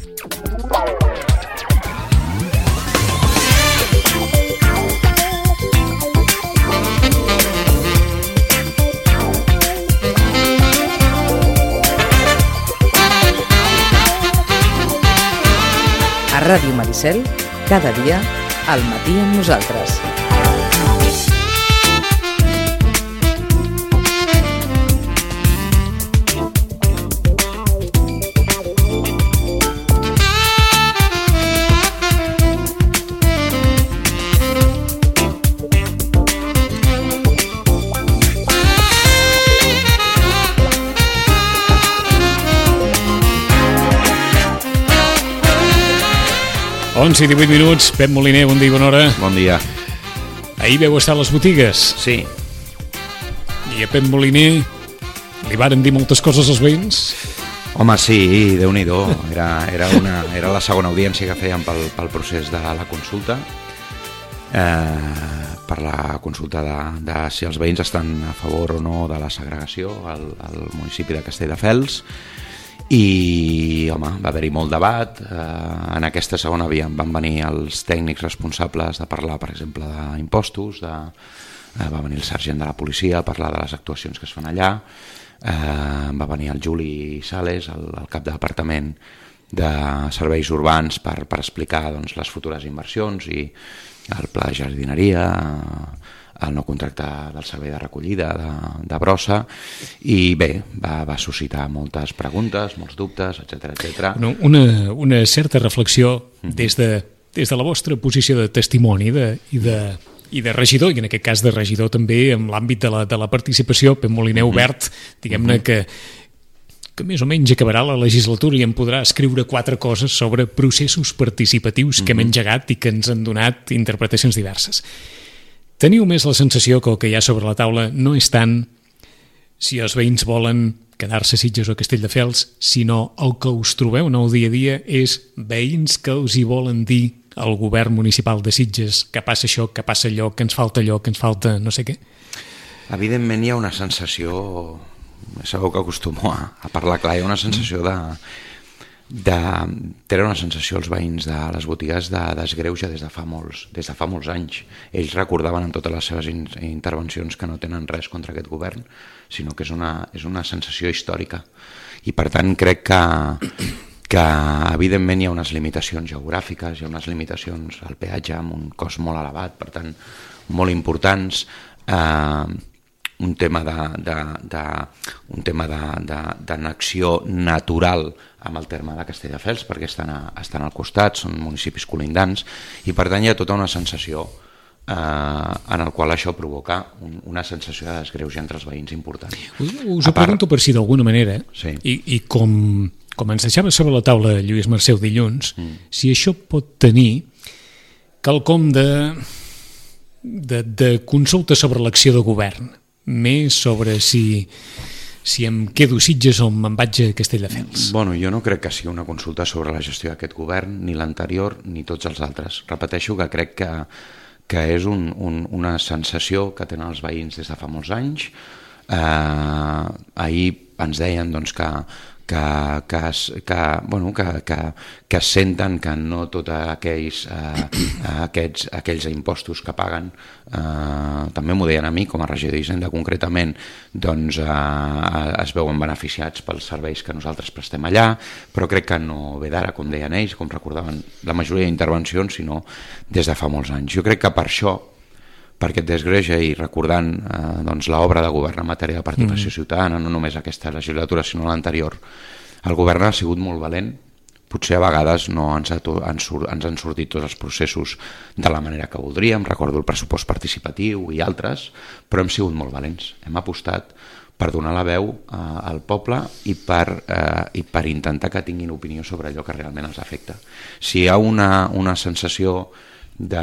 A Ràdio Maricel, cada dia, al matí amb nosaltres. I 18 minuts. Pep Moliner, bon dia i bona hora. Bon dia. Ahir veu estar a les botigues. Sí. I a Pep Moliner li varen dir moltes coses als veïns? Home, sí, Déu-n'hi-do. Era la segona audiència que fèiem pel procés de la consulta, per la consulta de si els veïns estan a favor o no de la segregació al municipi de Castelldefels. I, home, va haver-hi molt debat. En aquesta segona van venir els tècnics responsables de parlar, per exemple, d'impostos, va venir el sergent de la policia a parlar de les actuacions que es fan allà, va venir el Juli Sales, el cap de departament de serveis urbans, per explicar doncs, les futures inversions i el pla de jardineria, el no contracte del servei de recollida de brossa, i bé, va suscitar moltes preguntes, molts dubtes, etc. Una certa reflexió des de la vostra posició de testimoni i de regidor, i en aquest cas de regidor també en l'àmbit de la participació. Pep Moliner obert, diguem-ne que més o menys acabarà la legislatura i em podrà escriure 4 coses sobre processos participatius que hem engegat i que ens han donat interpretacions diverses. Teniu més la sensació que el que hi ha sobre la taula no és tant si els veïns volen quedar-se a Sitges o a Castelldefels, sinó el que us trobeu en el dia a dia és veïns que us hi volen dir al govern municipal de Sitges que passa això, que passa allò, que ens falta allò, que ens falta no sé què? Evidentment hi ha una sensació, segur que acostumo a parlar clar, hi ha una sensació tenen una sensació els veïns de les botigues de desgreuge des de fa molts anys. Ells recordaven en totes les seves intervencions que no tenen res contra aquest govern, sinó que és una sensació històrica, i per tant crec que evidentment hi ha unes limitacions geogràfiques, hi ha unes limitacions al peatge amb un cost molt elevat, per tant molt importants, un tema d'annexió natural amb el terme de Castelldefels, perquè estan al costat, són municipis colindants, i per tant hi ha tota una sensació en el qual això provoca una sensació de desgreuge entre els veïns important. Us ho pregunto per si d'alguna manera, sí. I com ens deixava sobre la taula Lluís Marceu dilluns, si això pot tenir quelcom de consulta sobre l'acció de govern, més sobre si em quedo a Sitges o me'n vaig a Castelldefels. Bueno, jo no crec que sigui una consulta sobre la gestió d'aquest govern, ni l'anterior ni tots els altres. Repeteixo que crec que és una sensació que tenen els veïns des de fa molts anys. Ahir ens deien doncs, que senten que no tots aquells impostos que paguen, també m'ho deien a mi com a regidor d'Hisenda concretament, doncs es veuen beneficiats pels serveis que nosaltres prestem allà, però crec que no ve d'ara, com deien ells, com recordaven la majoria d'intervencions, sinó des de fa molts anys. Jo crec que per això, per aquest desgreuge, i recordant l'obra de govern en matèria de participació ciutadana, no només aquesta legislatura sinó l'anterior, el govern ha sigut molt valent. Potser a vegades no ens han sortit tots els processos de la manera que voldríem, recordo el pressupost participatiu i altres, però hem sigut molt valents, hem apostat per donar la veu al poble i per intentar que tinguin opinió sobre allò que realment els afecta. Si hi ha una sensació de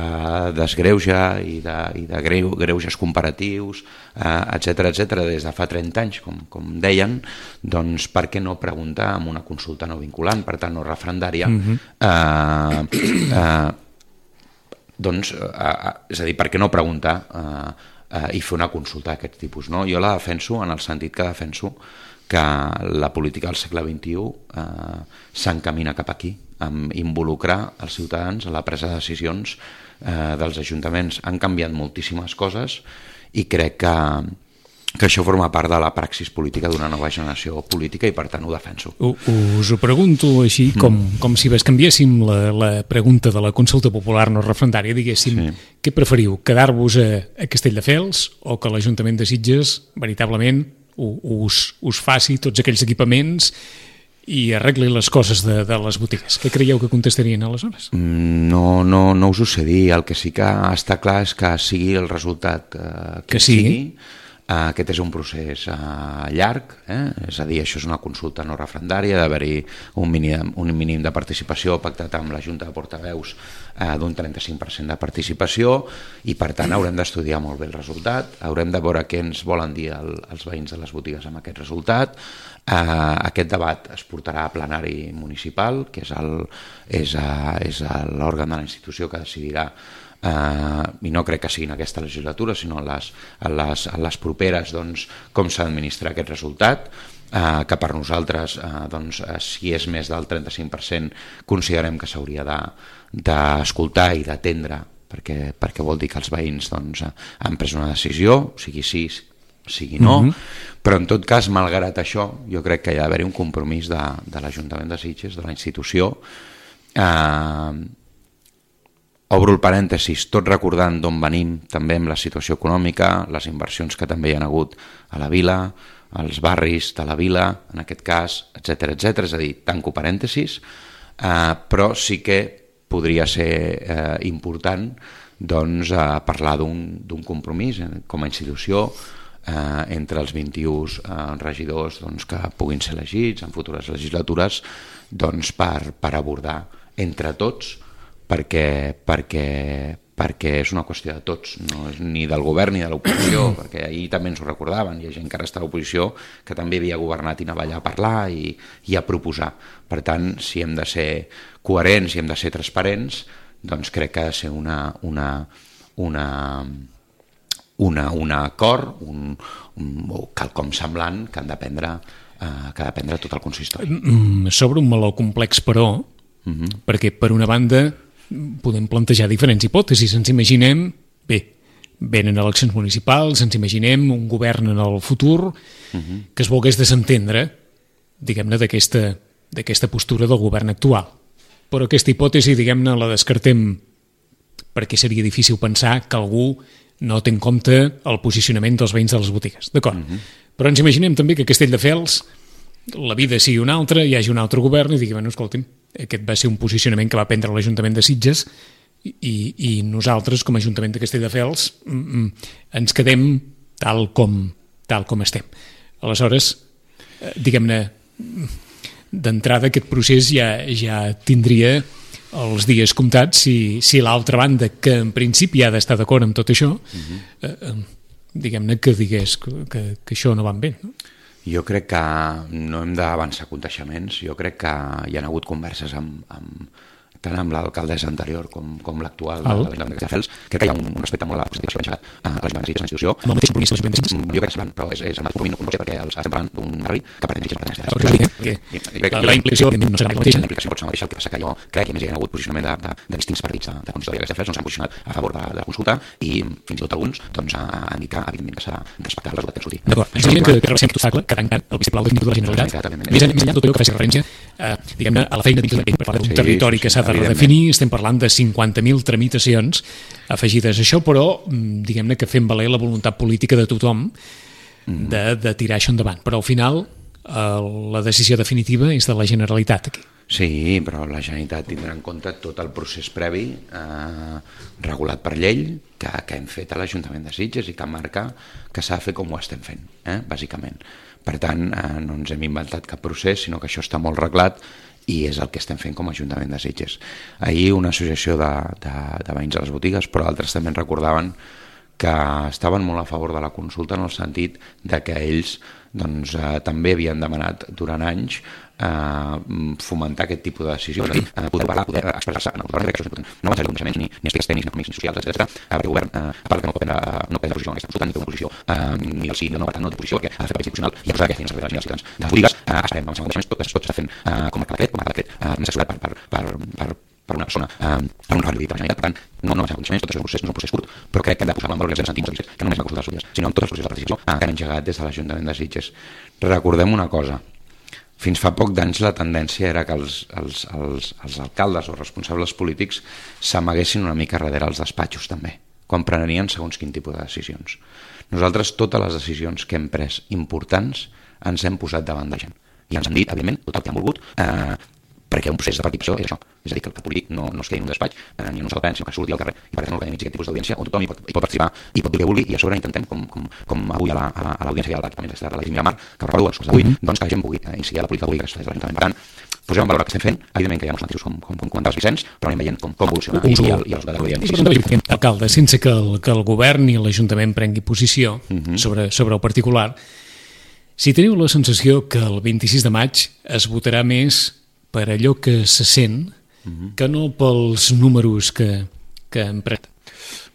desgreuge i de greuges comparatius, etc des de fa 30 anys, com deien, doncs per què no preguntar amb una consulta no vinculant, per tant no referendària, doncs, és a dir, per què no preguntar i fer una consulta d'aquest tipus, no? Jo la defenso en el sentit que defenso que la política del segle XXI s'encamina cap aquí, amb involucrar els ciutadans a la presa de decisions dels ajuntaments. Han canviat moltíssimes coses i crec que això forma part de la praxis política d'una nova generació política i per tant ho defenso. Us ho pregunto així com si bescanviéssim la pregunta de la consulta popular no referendària, diguéssim, què preferiu, quedar-vos a Castelldefels o que l'Ajuntament de Sitges veritablement us faci tots aquells equipaments i arregli les coses de les botigues? Què creieu que contestarien aleshores? No us ho sé dir. El que sí que està clar és que sigui el resultat que sigui. Aquest és un procés llarg, és a dir, això és una consulta no referendària, d'haver-hi un mínim de participació pactat amb la Junta de Portaveus d'un 35% de participació i per tant haurem d'estudiar molt bé el resultat, haurem de veure què ens volen dir els veïns de les botigues amb aquest resultat. Aquest debat es portarà a plenari municipal, que és l'òrgan de la institució que decidirà i no crec que sigui en aquesta legislatura sinó en les properes com s'ha d'administrar aquest resultat, que per nosaltres si és més del 35% considerem que s'hauria d'escoltar i d'atendre perquè vol dir que els veïns han pres una decisió, sigui sí, sigui no, però en tot cas, malgrat això, jo crec que hi ha d'haver un compromís de l'Ajuntament de Sitges, de la institució. Obro el parèntesis, tot recordant d'on venim també amb la situació econòmica, les inversions que també hi ha hagut a la vila, als barris de la vila, en aquest cas, etc. És a dir, tanco parèntesis, però sí que podria ser important parlar d'un compromís com a institució entre els 21 regidors que puguin ser elegits en futures legislatures per abordar entre tots perquè és una qüestió de tots, no és ni del govern ni de l'oposició, perquè ahir també ens ho recordaven, hi ha gent que ara està a l'oposició que també havia governat i anava allà a parlar i a proposar. Per tant, si hem de ser coherents i hem de ser transparents, doncs crec que ha de ser un acord, o quelcom semblant que ha de prendre tot el consistori. Sobre un meló complex, però, perquè per una banda podem plantejar diferents hipòtesis. Ens imaginem, venen eleccions municipals, ens imaginem un govern en el futur que es volgués desentendre, diguem-ne, d'aquesta postura del govern actual. Però aquesta hipòtesi, diguem-ne, la descartem perquè seria difícil pensar que algú no té en compte el posicionament dels veïns de les botigues. D'acord. Però ens imaginem també que a Castelldefels la vida sigui una altra, hi hagi un altre govern i digui, bueno, escolti'm, aquest va ser un posicionament que va prendre l'Ajuntament de Sitges i nosaltres, com a Ajuntament de Castelldefels, ens quedem tal com estem. Aleshores, diguem-ne, d'entrada aquest procés ja tindria els dies comptats si l'altra banda, que en principi ha d'estar d'acord amb tot això, diguem-ne que digués que això no va bé, no? Jo crec que no hem d'avançar coneixements, jo crec que hi ha hagut converses tant amb l'alcaldessa anterior com l'actual de l'Ajuntament de Castelldefels. Crec que hi ha un respecte molt a la posició que s'ha engegat a l'Ajuntament de Sitges, a la institució. Amb el mateix compromís de l'Ajuntament de Sitges? Jo crec que semblant, però és el mateix compromís, no pot ser perquè estem parlant d'un barri que pretén Sitges per tenir la implicació no serà la mateixa. La implicació pot ser la mateixa, el que passa que jo crec que més hi ha hagut posicionament de distints partits de consistori de Castelldefels, s'han posicionat a favor de la consulta i fins i tot alguns han dit que evidentment que s'ha de respectar el resultat que hem sortit. D'acord, és evident que rebaixem aquest obstacle, que tanca el vistiplau definitiu de la Generalitat. Més enllà tot allò que faci referència diguem-ne, a la feina dins per parlar d'un territori que s'ha de redefinir, estem parlant de 50.000 tramitacions afegides a això, però diguem-ne que fem valer la voluntat política de tothom de tirar això endavant. Però al final la decisió definitiva és de la Generalitat aquí. Sí, però la Generalitat tindrà en compte tot el procés previ regulat per llei que hem fet a l'Ajuntament de Sitges i que marca que s'ha de fer com ho estem fent, bàsicament. Per tant, no ens hem inventat cap procés, sinó que això està molt reglat i és el que estem fent com a Ajuntament de Sitges. Ahir una associació de veïns a les botigues, però altres també ens recordaven que estaven molt a favor de la consulta en el sentit de que ells doncs, també havien demanat durant anys fomentar aquest tipus de decisions, poder parlar, poder expressar-se en el govern, crec que això és important. No avançar coneixements ni aspectes tècnics, ni econòmics, ni socials, etc. Perquè el govern, a part que no pot prendre posició en aquesta consulta, ni té una posició, ni el sí, no, per tant, no té posició, perquè ha de fer paper institucional i ha posat aquesta feina als ciutadans. De les polítiques, esperem avançar coneixements, tot s'està fent com a decret, assessorat per una persona, per un ràdio de la Generalitat. Per tant, no avançar coneixements, tot això és un procés, no és un procés curt, però crec que hem de posar en valor els incentius que no només la consulta dels polítics, sinó en tots els processos de participació que han engegat des de l'Ajuntament de Sitges. Recordem una cosa: fins fa poc d'anys la tendència era que els alcaldes o responsables polítics s'amaguessin una mica darrere els despatxos també, quan prenien segons quin tipus de decisions. Nosaltres totes les decisions que hem pres importants ens hem posat davant de la gent i ens han dit, evidentment, tot el que han volgut, perquè un procés de participació és això, és a dir, que el polític no es quedi en un despatx ni en un sol pren, sinó que surti al carrer i per tant organitzi aquest tipus d'audiència on tothom hi pot participar i pot dir el que vulgui, i a sobre intentem, com avui a l'audiència de l'Ajuntament de la Miramar, que recordo a les coses d'avui, doncs que la gent pugui incidir a la política pública que es fa des de l'Ajuntament. Per tant, posem en valor el que estem fent, evidentment que hi ha uns matisos com comentaves, Vicenç, però anem veient com evoluciona i els resultats de l'audiència. Alcalde, sense que el govern i l'Ajuntament prengui posició sobre el particular, si teniu la sensació que el 26 de maig es votarà més per allò que se sent que no pels números que hem pres.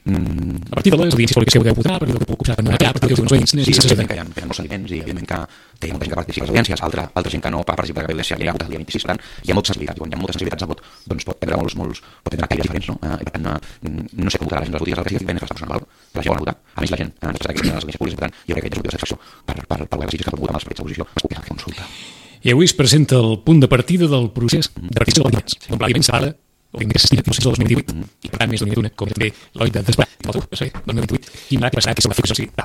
A partir de les audiències públiques que podeu votar, per allò que puc posar en una cap, per allò que uns veïns... Sí, evidentment que hi ha molts sentiments i evidentment que hi ha molta gent que participa a les audiències, altra gent que no participa de cap audiència anirà a votar el dia 26, per tant, hi ha molta sensibilitat, i quan hi ha moltes sensibilitats el vot doncs pot prendre pot prendre caires diferents, no? I per tant, no sé com votarà la gent de les botigues, el que sí que és està posant en valor, la gent vol votar, a més la gent ens expressa aquestes audiències públiques, per tant, jo crec que és motiu de satisfacció per govern de Sitges que pot votar amb l'esperit d'oposició, es pugui fer consulta. I avui es presenta el punt de partida del procés de participació del Vallès. Un pla d'Ivent separa el que s'estima fins al 2018 i per tant més d'una com també l'Oi de desbar i el 2028 i que passarà que se la fixa sí. No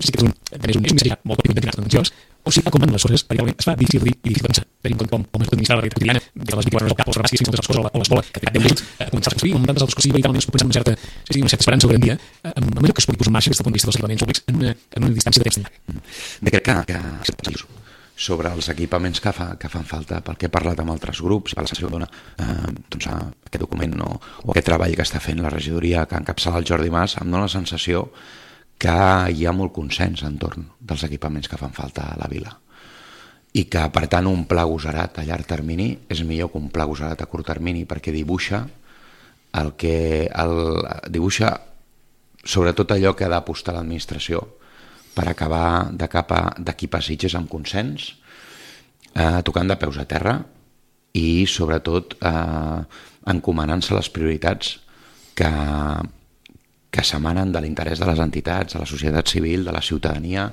sé si aquest és un missatge molt petit d'entrenar tendenciós o si com van les coses perquè realment es fa difícil de dir i difícil de pensar tenint com es pot administrar la realitat quotidiana de les 24 hores al cap, els rabàsquies i moltes coses o l'escola que ha tingut a començar a construir amb tantes altres coses i veritablement es pot pensar amb una certa esperança o garantia amb allò que es pugui posar en marxa des del punt de vista dels equipaments públics en una distància de temps llarg. Bé, crec que sobre els equipaments que fan falta, pel que he parlat amb altres grups i per la sensació que dona doncs, aquest document o aquest treball que està fent la regidoria que encapçala el Jordi Mas, em dona la sensació que hi ha molt consens entorn dels equipaments que fan falta a la vila i que per tant un pla agosarat a llarg termini és millor que un pla agosarat a curt termini perquè dibuixa sobretot allò que ha d'apostar l'administració per acabar d'equipar Sitges amb consens, tocant de peus a terra i sobretot encomanant-se les prioritats que s'emanen de l'interès de les entitats, de la societat civil, de la ciutadania,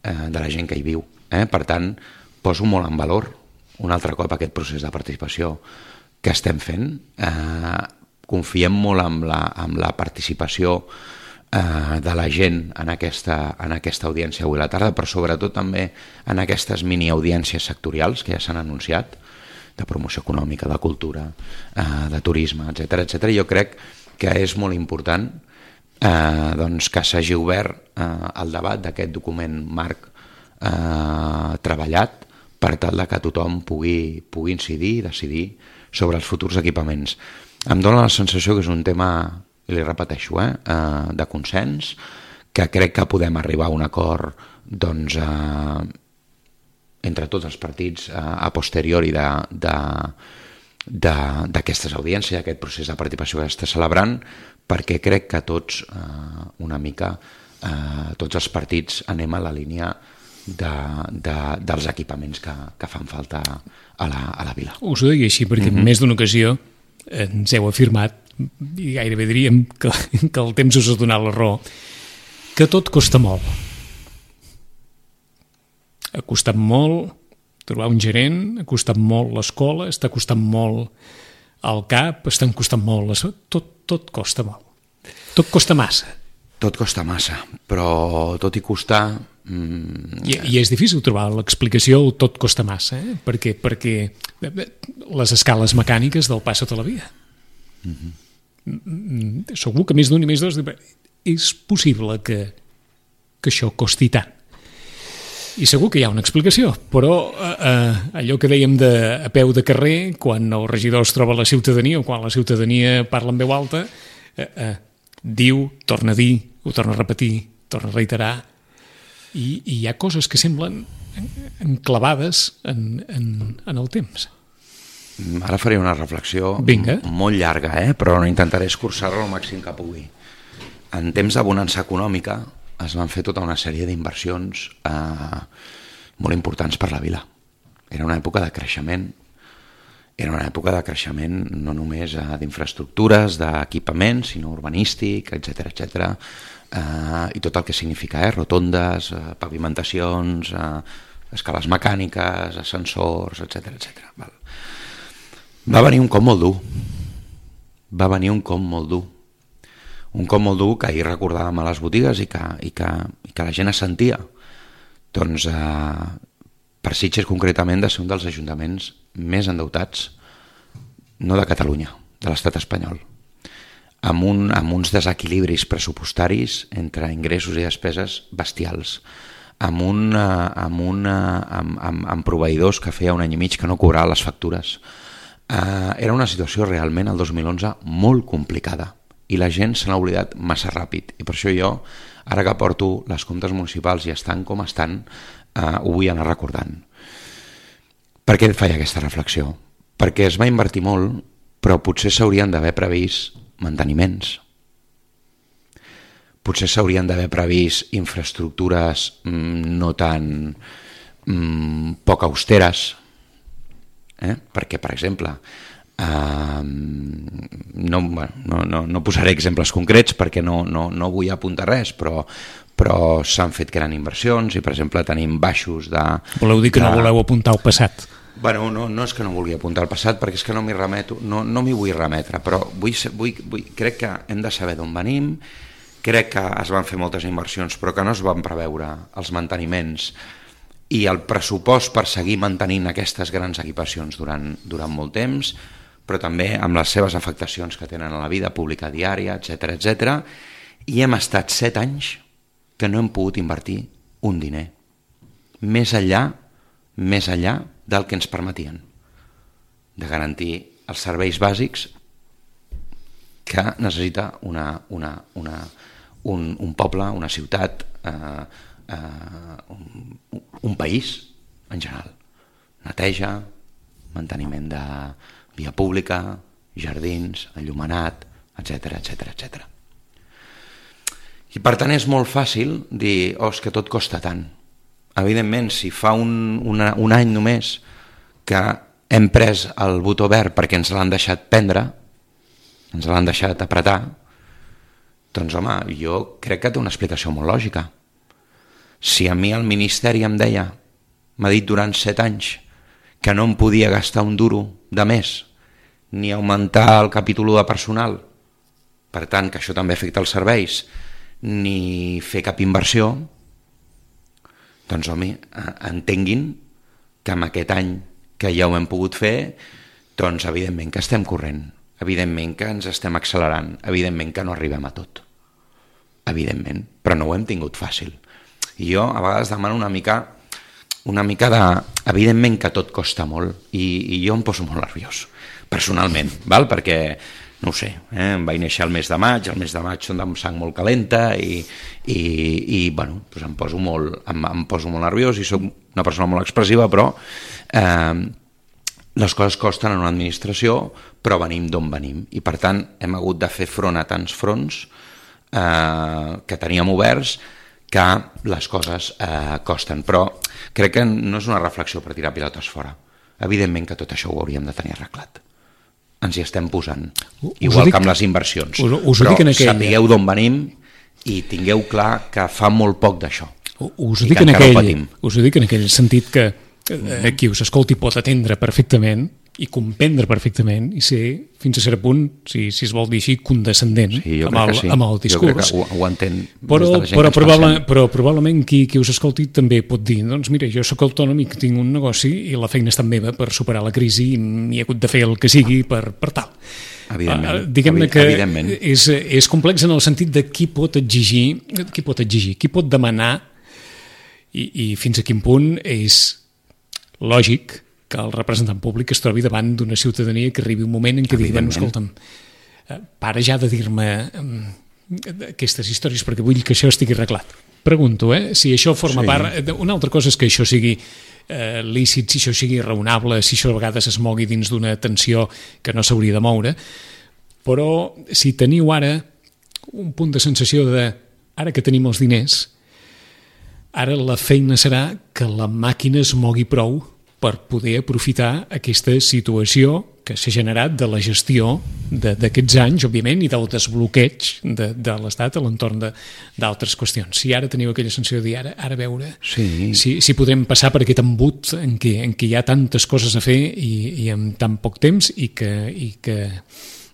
de la gent que hi viu. Per tant, poso molt en valor un altre cop aquest procés de participació que estem fent. Confiem molt en la participació de la gent en aquesta audiència avui a la tarda, però sobretot també en aquestes mini-audiències sectorials que ja s'han anunciat, de promoció econòmica, de cultura, de turisme, etc. Jo crec que és molt important doncs, que s'hagi obert el debat d'aquest document marc treballat per tal que tothom pugui incidir i decidir sobre els futurs equipaments. Em dóna la sensació que és un tema, i li repeteixo, de consens, que crec que podem arribar a un acord doncs, entre tots els partits a posteriori d'aquestes audiències, aquest procés de participació que està celebrant, perquè crec que tots, una mica, tots els partits anem a la línia dels equipaments que fan falta a la vila. Us ho deia així perquè en més d'una ocasió ens heu afirmat i gairebé diríem que el temps us ha donat la raó, que tot costa molt. Ha costat molt trobar un gerent, ha costat molt l'escola, està costant molt el CAP, estan costant molt... Tot costa molt. Tot costa massa. Tot costa massa, però tot i costar... I és difícil trobar l'explicació tot costa massa, perquè les escales mecàniques del pas sota la via. Segur que més d'un i més dos és possible que això costi tant i segur que hi ha una explicació, però allò que dèiem a peu de carrer, quan el regidor es troba a la ciutadania o quan la ciutadania parla en veu alta, diu, torna a dir, ho torna a repetir, torna a reiterar, i hi ha coses que semblen enclavades en el temps. Ara faré una reflexió molt llarga, però intentaré escurçar-la al màxim que pugui. En temps de bonança econòmica es van fer tota una sèrie d'inversions molt importants per la vila. Era una època de creixement. Era una època de creixement no només d'infraestructures, d'equipaments, sinó urbanístic, etc. I tot el que significa, rotondes, pavimentacions, escales mecàniques, ascensors, etc. Va venir un cop molt dur. Un cop molt dur que ahir recordàvem a les botigues i que la gent es sentia. Doncs per Sitges concretament de ser un dels ajuntaments més endeutats, no de Catalunya, de l'estat espanyol, amb uns desequilibris pressupostaris entre ingressos i despeses bestials, amb proveïdors que feia un any i mig que no cobraven les factures. Era una situació realment el 2011 molt complicada i la gent se n'ha oblidat massa ràpid, i per això jo, ara que porto les comptes municipals i estan com estan, ho vull anar recordant. Per què et feia aquesta reflexió? Perquè es va invertir molt, però potser s'haurien d'haver previst manteniments. Potser s'haurien d'haver previst infraestructures no tan poc austeres, perquè, per exemple, no posaré exemples concrets perquè no vull apuntar res, però s'han fet grans inversions i, per exemple, tenim baixos de... Voleu dir que no voleu apuntar al passat? Bueno, no és que no vulgui apuntar al passat, perquè és que no m'hi remeto, no m'hi vull remetre, però crec que hem de saber d'on venim, crec que es van fer moltes inversions però que no es van preveure els manteniments i el pressupost per seguir mantenint aquestes grans equipacions durant molt temps, però també amb les seves afectacions que tenen a la vida pública diària, etc. I hem estat 7 anys que no hem pogut invertir un diner més enllà del que ens permetien de garantir els serveis bàsics que necessita un poble, una ciutat, un país en general. Neteja, manteniment de via pública, jardins, enllumenat, etc. I per tant és molt fàcil dir, és que tot costa tant. Evidentment, si fa un any només que hem pres el botó verd perquè ens l'han deixat prendre, ens l'han deixat apretar, doncs home, jo crec que té una explicació molt lògica. Si a mi el Ministeri em deia, m'ha dit durant 7 anys, que no em podia gastar un duro de més, ni augmentar el capítol de personal, per tant que això també afecta els serveis, ni fer cap inversió, doncs home, entenguin que amb aquest any que ja ho hem pogut fer, doncs evidentment que estem corrent, evidentment que ens estem accelerant, evidentment que no arribem a tot, evidentment, però no ho hem tingut fàcil. I jo a vegades demano una mica de... Evidentment que tot costa molt i jo em poso molt nerviós, personalment, perquè, no ho sé, em vaig néixer el mes de maig són de sang molt calenta i bueno, doncs em poso molt nerviós i soc una persona molt expressiva, però les coses costen en una administració, però venim d'on venim i per tant hem hagut de fer front a tants fronts que teníem oberts que les coses costen, però crec que no és una reflexió per tirar pilotes fora. Evidentment que tot això ho hauríem de tenir arreglat. Ens hi estem posant, igual que amb les inversions. Però sapigueu d'on venim i tingueu clar que fa molt poc d'això. Us ho dic en aquell sentit que qui us escolti pot atendre perfectament i comprendre perfectament i ser, fins a cert punt, si es vol dir així, condescendent amb el discurs. Jo crec que ho entén però probablement qui us escolti també pot dir, doncs mira, jo sóc autònom i tinc un negoci i la feina està meva per superar la crisi i he hagut de fer el que sigui per tal. Diguem-ne que és complex en el sentit de qui pot exigir, qui pot demanar i fins a quin punt és lògic que el representant públic es trobi davant d'una ciutadania que arribi un moment en què digui, bueno, escolta'm, para ja de dir-me aquestes històries perquè vull que això estigui arreglat. Pregunto, si això forma part... Una altra cosa és que això sigui lícit, si això sigui raonable, si això a vegades es mogui dins d'una tensió que no s'hauria de moure, però si teniu ara un punt de sensació de ara que tenim els diners, ara la feina serà que la màquina es mogui prou per poder aprofitar aquesta situació que s'ha generat de la gestió d'aquests anys, òbviament, i del desbloqueig de l'Estat a l'entorn d'altres qüestions. Si ara teniu aquella sensació de dir, ara veure si podem passar per aquest embut en què hi ha tantes coses a fer i en tan poc temps i que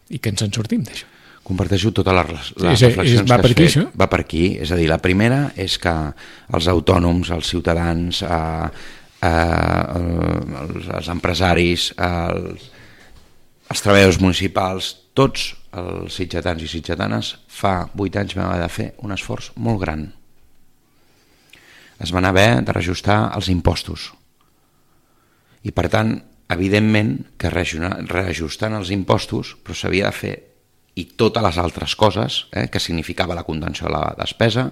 ens en sortim d'això. Comparteixo totes les reflexions que has fet. Va per aquí. És a dir, la primera és que els autònoms, els ciutadans, els empresaris, els treballadors municipals, tots els sitgetans i sitgetanes, fa 8 anys vam haver de fer un esforç molt gran. Es van haver de reajustar els impostos. I per tant, evidentment que reajustant els impostos, però s'havia de fer i totes les altres coses que significava la contenció de la despesa.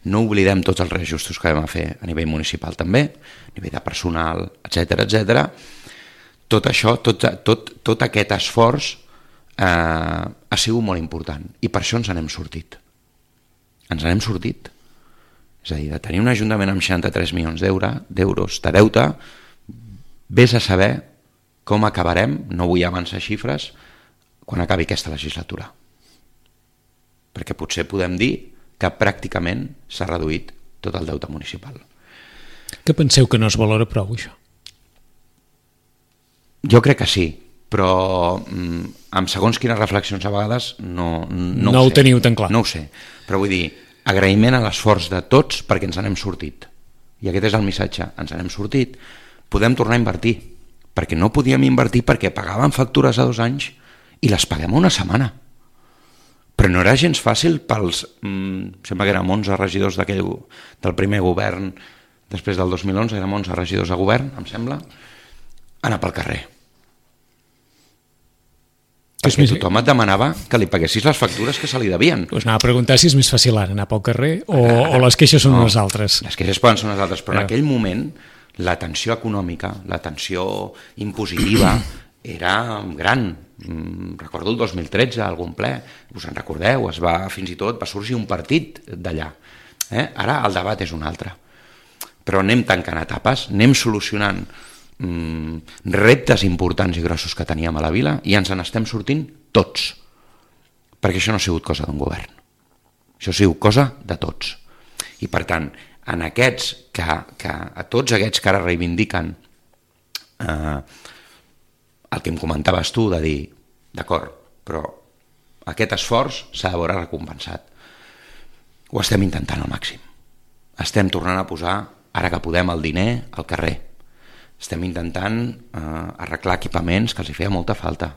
No oblidem tots els reajustos que vam fer a nivell municipal també, a nivell de personal, etc. Tot això, tot aquest esforç ha sigut molt important i per això ens n'hem sortit. Ens n'hem sortit. És a dir, de tenir un ajuntament amb 63 milions d'euros de deute, vés a saber com acabarem, no vull avançar xifres, quan acabi aquesta legislatura. Perquè potser podem dir que pràcticament s'ha reduït tot el deute municipal. Que penseu que no es valora prou, això? Jo crec que sí, però amb segons quines reflexions a vegades no ho teniu tan clar. No ho sé, però vull dir, agraïment a l'esforç de tots perquè ens n'hem sortit. I aquest és el missatge, ens n'hem sortit. Podem tornar a invertir, perquè no podíem invertir perquè pagàvem factures a 2 anys i les paguem a una setmana. Però no era gens fàcil pels, sembla que érem 11 regidors del primer govern, després del 2011 érem 11 regidors de govern, em sembla, anar pel carrer. Perquè tothom et demanava que li paguessis les factures que se li devien. Us anava a preguntar si és més fàcil ara anar pel carrer o les queixes són unes altres. Les queixes poden ser unes altres, però en aquell moment la tensió econòmica, la tensió impositiva era gran. Recordo el 2013, algun ple, us en recordeu, fins i tot va sorgir un partit d'allà. Ara el debat és un altre. Però anem tancant etapes, anem solucionant reptes importants i grossos que teníem a la vila i ens n'estem sortint tots, perquè això no ha sigut cosa d'un govern, això ha sigut cosa de tots. I per tant, a tots aquests que ara reivindiquen el que em comentaves tu de dir, d'acord, però aquest esforç s'ha de veure recompensat. Ho estem intentant al màxim, estem tornant a posar, ara que podem, el diner al carrer. Estem intentant arreglar equipaments que els hi feia molta falta,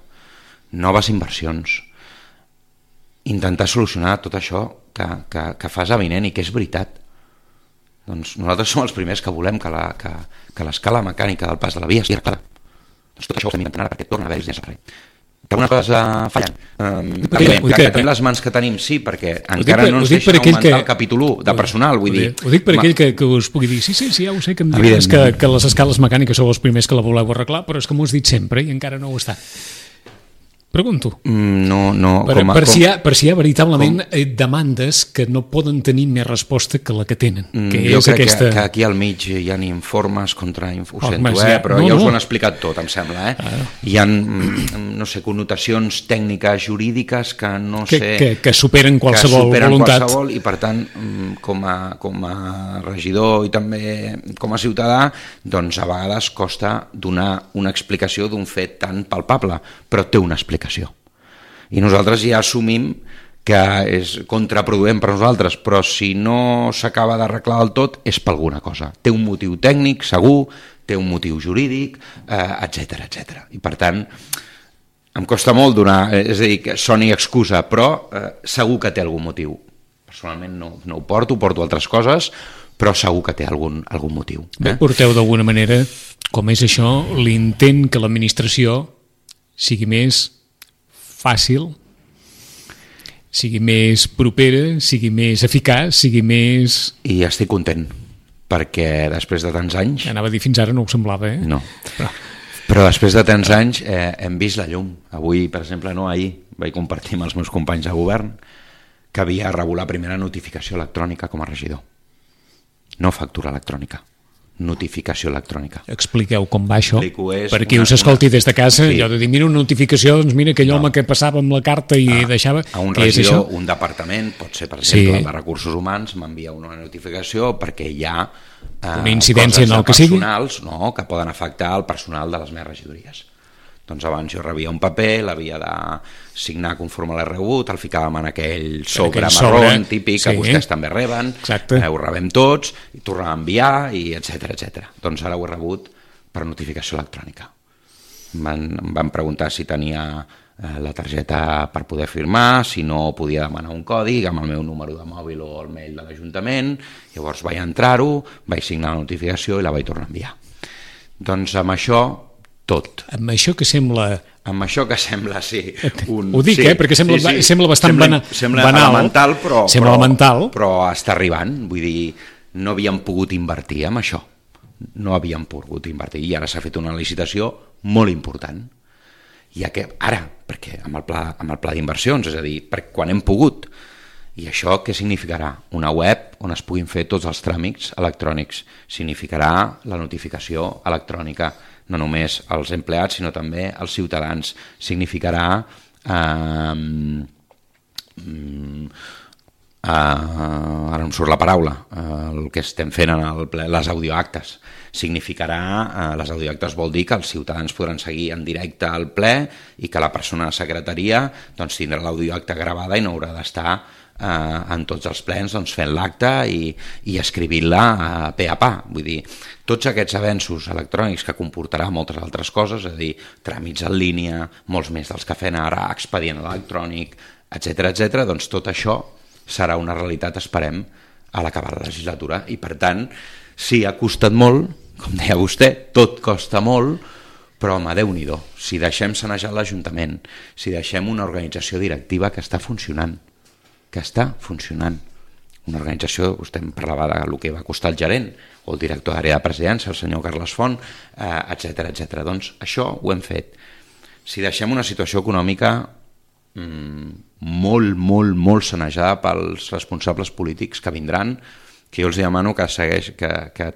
noves inversions, intentar solucionar tot això que fas avinent i que és veritat. Doncs nosaltres som els primers que volem que l'escala mecànica del pas de la via sigui arreglada. Doncs tot això ho estem intentant ara perquè torna a haver-hi diners al carrer. Que algunes coses fallen. Que tenim les mans que tenim, sí, perquè encara no ens deixen augmentar el capítol 1 de personal, vull dir. Ho dic per aquell que us pugui dir, sí, ja ho sé, que em dius que les escales mecàniques sou els primers que la voleu arreglar, però és que m'ho has dit sempre i encara no ho està. Pregunto. Per si hi ha veritablement demandes que no poden tenir més resposta que la que tenen. Jo crec que aquí al mig hi ha informes contra... Ho sento, però ja us ho han explicat tot, em sembla. Hi ha, no sé, connotacions tècniques, jurídiques que no sé... Que superen qualsevol voluntat. I per tant, com a regidor i també com a ciutadà, doncs a vegades costa donar una explicació d'un fet tan palpable, però té una explicació. I nosaltres ja assumim que és contraproduent per nosaltres, però si no s'acaba d'arreglar del tot és per alguna cosa. Té un motiu tècnic, segur, té un motiu jurídic, etc. I per tant, em costa molt donar, és a dir, que soni excusa, però segur que té algun motiu. Personalment no ho porto altres coses, però segur que té algun motiu. Porteu d'alguna manera, com és això, l'intent que l'administració sigui més fàcil, sigui més propera, sigui més eficaç, sigui més... I estic content, perquè després de tants anys... Anava a dir fins ara no ho semblava, eh? No. Però després de tants anys hem vist la llum. Avui, per exemple, ahir vaig compartir amb els meus companys de govern que havia rebut la primera notificació electrònica com a regidor. No factura electrònica, notificació electrònica. Expliqueu com va això, és per qui us escolti des de casa, sí. allò de dir, mira una notificació, doncs mira aquell home que passava amb la carta i deixava... A un regidor, un departament, pot ser per exemple el de Recursos Humans, m'envia una notificació perquè hi ha una incidència en el que sigui, que poden afectar el personal de les meves regidories. Doncs abans jo rebia un paper, l'havia de signar conforme l'he rebut, el ficàvem en aquell sobre marró típic que vostès també reben, ho rebem tots, i tornem a enviar, i etc. Doncs ara ho he rebut per notificació electrònica. Em van preguntar si tenia la targeta per poder firmar, si no podia demanar un codi amb el meu número de mòbil o el mail de l'Ajuntament, llavors vaig entrar-ho, vaig signar la notificació i la vaig tornar a enviar. Doncs amb això tot. Amb això que sembla... Amb això que sembla, sí. Ho dic, perquè sembla bastant banal. Sembla elemental, però està arribant. Vull dir, no havíem pogut invertir en això. No havíem pogut invertir. I ara s'ha fet una licitació molt important. I ara, perquè amb el pla d'inversions, és a dir, quan hem pogut. I això què significarà? Una web on es puguin fer tots els tràmits electrònics. Significarà la notificació electrònica, no només als empleats, sinó també als ciutadans. Significarà, ara em surt la paraula, el que estem fent en el ple, les audioactes. Significarà, les audioactes vol dir que els ciutadans podran seguir en directe al ple i que la persona de secretaria tindrà l'audioacta gravada i no haurà d'estar en tots els plens fent l'acte i escrivint-la pe a pa. Vull dir, tots aquests avenços electrònics que comportarà moltes altres coses, és a dir, tràmits en línia, molts més dels que fem ara, expedient electrònic, etc., doncs tot això serà una realitat, esperem, a l'acabar la legislatura. I per tant, sí, ha costat molt, com deia vostè, tot costa molt, però home, Déu-n'hi-do, si deixem sanejar l'Ajuntament, si deixem una organització directiva que està funcionant, una organització, vostè em parlava del que va costar el gerent o el director d'àrea de presidència, el senyor Carles Font, etc. Doncs això ho hem fet. Si deixem una situació econòmica molt sanejada pels responsables polítics que vindran, que jo els demano que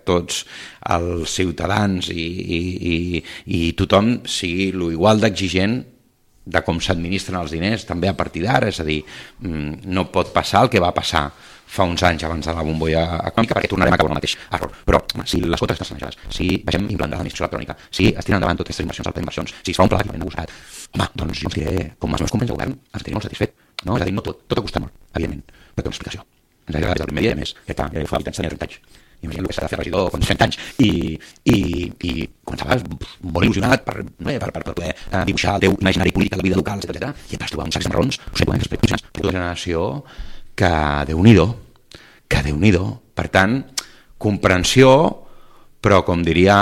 tots els ciutadans i tothom sigui igual d'exigent de com s'administren els diners, també a partir d'ara, és a dir, no pot passar el que va passar fa uns anys abans de la bombolla econòmica, perquè tornarem a acabar el mateix error. Però si les quotes estan sanejades, si vegem implantar l'administració electrònica, si es tiren endavant totes aquestes inversions al pla d'inversions, si es fa un pla d'equipament negociat, home, doncs jo us diré, com els meus companys de govern, ens tenia molt satisfet. No? És a dir, no tot ha costat molt, evidentment, però té una explicació. Ens ha agradat des del primer dia, més, que fa habitants tenia 30 anys. Imagina el que s'ha de fer regidor quan 30 anys i començaves molt il·lusionat per poder dibuixar el teu imaginari polític de la vida local, etc. I et vas trobar uns sacs marrons, una generació que Déu-n'hi-do. Per tant, comprensió, però com diria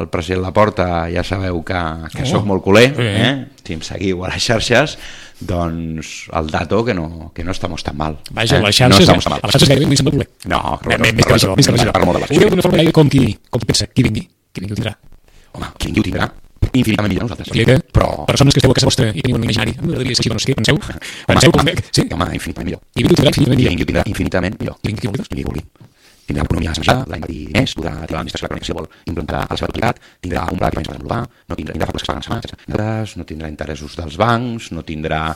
el president Laporta, ja sabeu que sóc molt culer, si em seguiu a les xarxes, doncs el dato que no estamos tan mal. Vaja, a les xarxes gairebé no hi sembla voler. No, més que regidor. Ho diu d'una forma gairebé com qui pensa, qui vingui ho tindrà. Home, qui vingui ho tindrà infinitament millor nosaltres. Però persones que esteu a casa vostra i teniu un imaginari, m'agradaria ser així, doncs què? Penseu com veig? Sí. Home, infinitament millor. I vingui ho tindrà infinitament millor. I vingui qui vulgui. Tindrà l'economia sanejada, l'any de diners, podrà tirar l'administració electrònica si vol implantar a la seva totalitat, tindrà un pla d'equipaments per desenvolupar, no tindrà factures que es paguen setmanes, no tindrà interessos dels bancs, no tindrà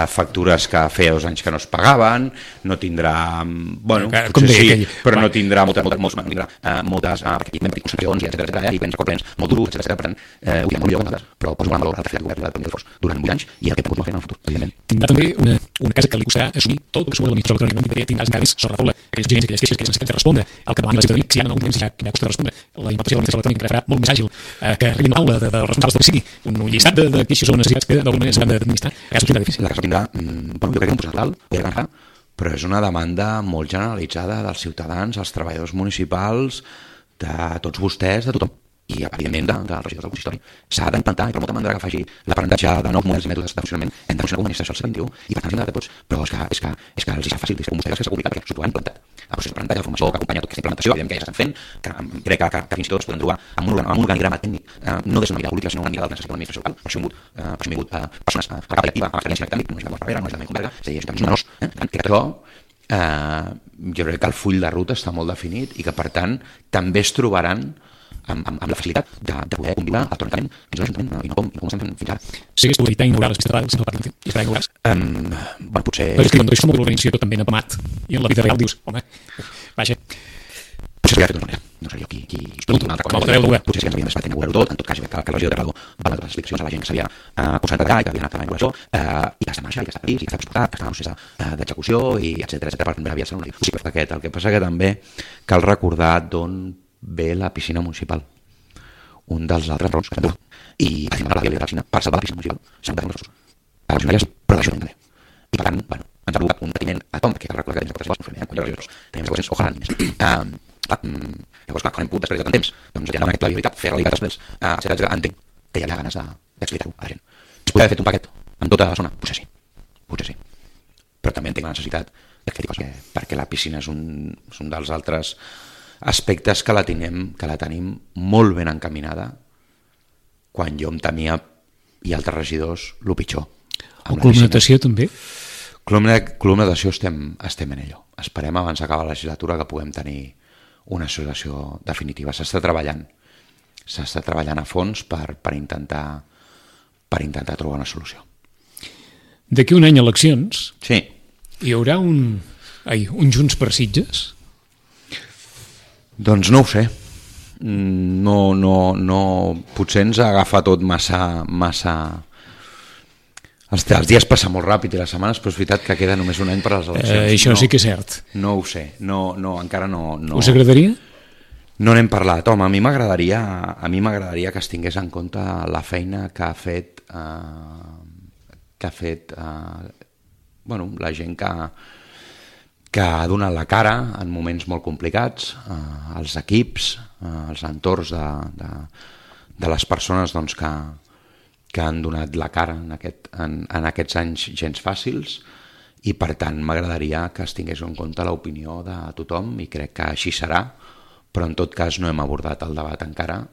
factures que feia 2 anys que no es pagaven, no tindrà... Bueno, potser sí, però no tindrà moltes concepcions, etc. I plens records molt durs, etc. Per tant, ho direm molt millor que nosaltres, però poso en valor la feina del govern durant 8 anys i el que pot fer en el futur, evidentment. Tindrà també una casa que li costarà assumir tot el que surt de l'administració electrònica, tindràs encara més sobre la taula aquelles exigències, aquelles queixes que necessiten respondre el que demani la ciutadania, si ja no temps ja costa de respondre. La implantació de l'administració electrònica que farà molt més àgil que arribi a taula dels responsables del que sigui un llistat de queixes o necessitats que d'alguna manera s'han d'administrar. La casa tindrà difícil. La casa tindrà, jo crec que un percental, però és una demanda molt generalitzada dels ciutadans, els treballadors municipals, de tots vostès, de tothom. i evidentment dels regidors del consistori. S'ha d'implantar, i per molta manera que faci l'aprenentatge de nous models i mètodes de funcionament, hem de funcionar com a administració al segle XXI, i per tant ens hem de tots, però és que els hi serà fàcil, és com vostès que s'ha complicat perquè s'ho han implantat. El procés d'aprenentatge, la formació que acompanya tota aquesta implementació, evidentment que ja s'estan fent, que crec que fins i tot es poden trobar amb un organigrama tècnic, no des d'una mirada política, sinó una mirada del que necessita l'administració local. Per això hem vingut persones a la capa directiva, amb experiència en aquest àmbit, no és de Barrera, no és de Converga, és a dir, és menors. Crec que això, jo crec que el full de ruta està molt definit i que, per tant, també es trobaran amb la facilitat de poder conviure alternament dins l'Ajuntament i no com estem fent fins ara. Sí, és evitar inaugurar les pistes de ball, sempre parlen i esperar inaugurar-les. Bueno, potser... Però és que quan deixes molt l'organització també n'apamat i en la vida real dius, home, vaja... Potser s'hauria fet d'una manera. No sé jo qui una altra cosa. Potser sí que ens havíem d'esperar inaugurar-ho tot. En tot cas, que la regió de Terrado va donar les explicacions a la gent que s'havia concentrat allà i que havia anat a la inauguració i que està en marxa, i que està previst, i que està disposat, que està en procés d'execució, i etcètera, per també havia estat una possible aquest. El que passa que també cal recordar d'on ve la piscina municipal. Un dels altres raons que també i per exemple la via de la piscina, per salvar la piscina municipal s'han de fer uns esforços funcionaris, però d'ajuda també. I per tant, bueno, ens ha provocat un patiment a tom, perquè cal recordar que tenim quatre regidors, tenim regidors, ojalà més. Llavors, clar, quan hem pogut després de tant temps, doncs ja en aquesta viabilitat, fer realitat després, etcètera, entenc que hi havia ganes d'explicar-ho a la gent. Es podria haver fet un paquet amb tota la zona? Potser sí. Però també entenc la necessitat de fer coses, perquè la piscina és un dels altres aspectes que la tenim molt ben encaminada, quan jo em temia, i altres regidors, el pitjor. O columnatació també? Columnatació estem en ello. Esperem abans d'acabar la legislatura que puguem tenir una solució definitiva. S'està treballant a fons per intentar trobar una solució. D'aquí un any eleccions, sí. Hi haurà un Junts per Sitges? Doncs no ho sé. No, potser ens agafa tot massa... Els dies passen molt ràpid i les setmanes, però és veritat que queda només un any per a les eleccions. Això sí que és cert. No ho sé, encara no... Us agradaria? No n'hem parlat. Home, a mi m'agradaria que es tingués en compte la feina que ha fet la gent que ha donat la cara en moments molt complicats, els equips, els entorns de les persones doncs, que han donat la cara en aquests anys gens fàcils, i per tant m'agradaria que es tingués en compte l'opinió de tothom, i crec que així serà, però en tot cas no hem abordat el debat encara.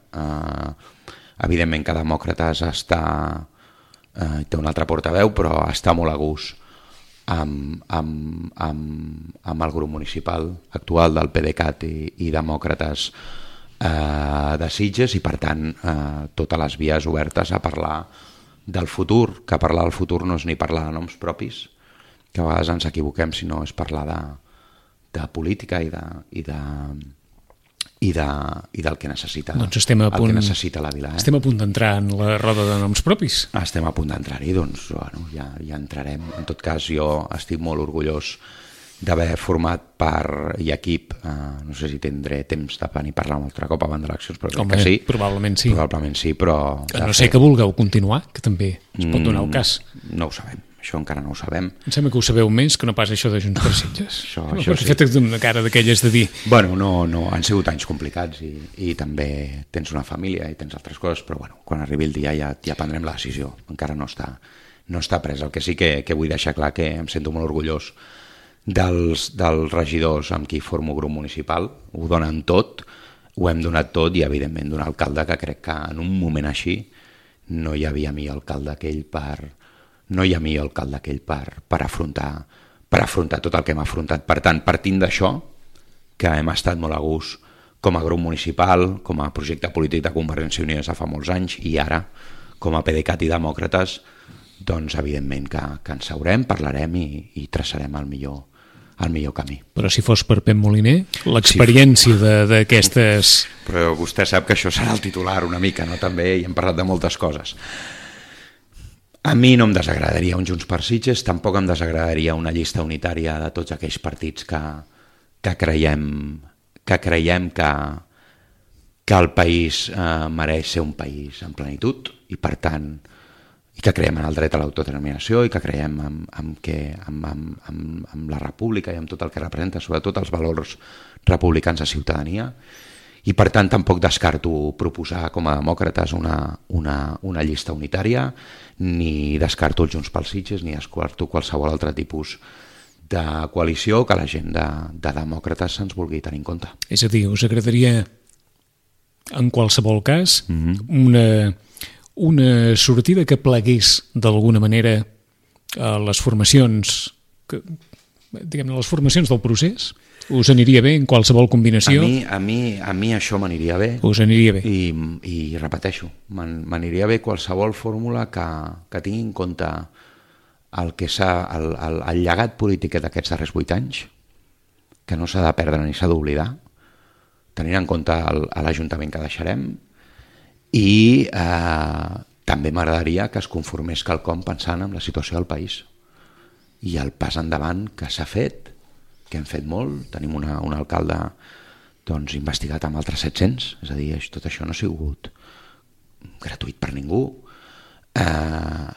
Evidentment que Demòcrates té un altre portaveu, però està molt a gust amb el grup municipal actual del PDeCAT i Demòcrates de Sitges, i per tant totes les vies obertes a parlar del futur, que parlar del futur no és ni parlar de noms propis, que a vegades ens equivoquem, sinó és parlar de política i del que necessita, doncs que necessita la vila. Estem a punt d'entrar en la roda de noms propis. Estem a punt d'entrar-hi, doncs bueno, ja entrarem. En tot cas, jo estic molt orgullós d'haver format part i equip, no sé si tindré temps de venir a parlar un altre cop abans d'eleccions, però crec que sí. Probablement sí. Probablement sí, però... A no ser que vulgueu continuar, que també es pot donar el cas. No ho sabem, això encara no ho sabem. Em sembla que ho sabeu més que no pas això de Junts per Sitges. Això sí. Fet una cara d'aquelles de dir... Bueno, no, han sigut anys complicats i també tens una família i tens altres coses, però bueno, quan arribi el dia ja prendrem la decisió. Encara no està pres. El que sí que vull deixar clar que em sento molt orgullós dels regidors amb qui formo grup municipal. Ho donen tot, ho hem donat tot, i evidentment d'un alcalde que crec que en un moment així no hi havia millor alcalde que ell per afrontar tot el que hem afrontat. Per tant, partint d'això, que hem estat molt a gust com a grup municipal, com a projecte polític de Convergència i Unió des de fa molts anys, i ara com a PDeCAT i Demòcrates, doncs evidentment que ens seurem, parlarem i traçarem el millor camí. Però si fos per Pep Moliner, l'experiència d'aquestes... Però vostè sap que això serà el titular una mica, no? També hi hem parlat de moltes coses. A mi no em desagradaria un Junts per Sitges, tampoc em desagradaria una llista unitària de tots aquells partits que creiem que el país mereix ser un país en plenitud, i per tant i que creiem en el dret a l'autodeterminació, i que creiem en la república i en tot el que representa, sobretot els valors republicans de ciutadania, I per tant tampoc descarto proposar com a demòcrates una llista unitària, ni descarto els Junts pel Sitges, ni descarto qualsevol altre tipus de coalició que la gent de demòcrates se'ns vulgui tenir en compte. És a dir, us agradaria en qualsevol cas una sortida que plegués d'alguna manera a les formacions diguem-ne, les formacions del procés? Us aniria bé en qualsevol combinació? A mi això m'aniria bé. Us aniria bé? I repeteixo, m'aniria bé qualsevol fórmula que tingui en compte el llegat polític d'aquests darrers 8 anys, que no s'ha de perdre ni s'ha d'oblidar, tenint en compte l'Ajuntament que deixarem, i també m'agradaria que es conformés quelcom pensant en la situació del país i el pas endavant que s'ha fet, que hem fet molt. Tenim un alcalde investigat amb altres 700, és a dir, tot això no ha sigut gratuït per ningú,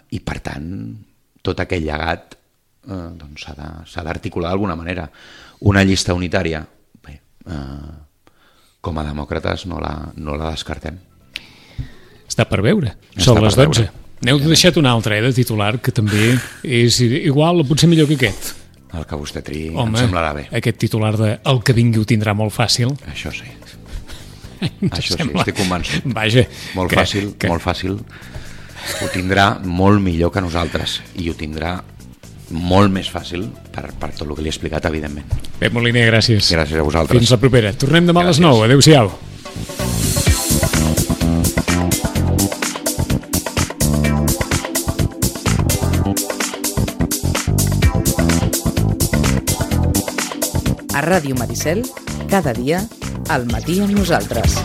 i per tant tot aquell llegat s'ha d'articular d'alguna manera. Una llista unitària, bé, com a demòcrates no la descartem. Està per veure, són les 12. N'heu deixat un altre, de titular, que també és igual o potser millor que aquest. El que vostè triï, em semblarà bé. Aquest titular de el que vingui ho tindrà molt fàcil. Això sí. Això sí, estic convençut. Vaja. Molt fàcil. Ho tindrà molt millor que nosaltres i ho tindrà molt més fàcil per tot el que li he explicat, evidentment. Pep Moliner, gràcies. Gràcies a vosaltres. Fins la propera. Tornem demà a les 9. Adéu-siau. A Ràdio Maricel, cada dia, al matí amb nosaltres.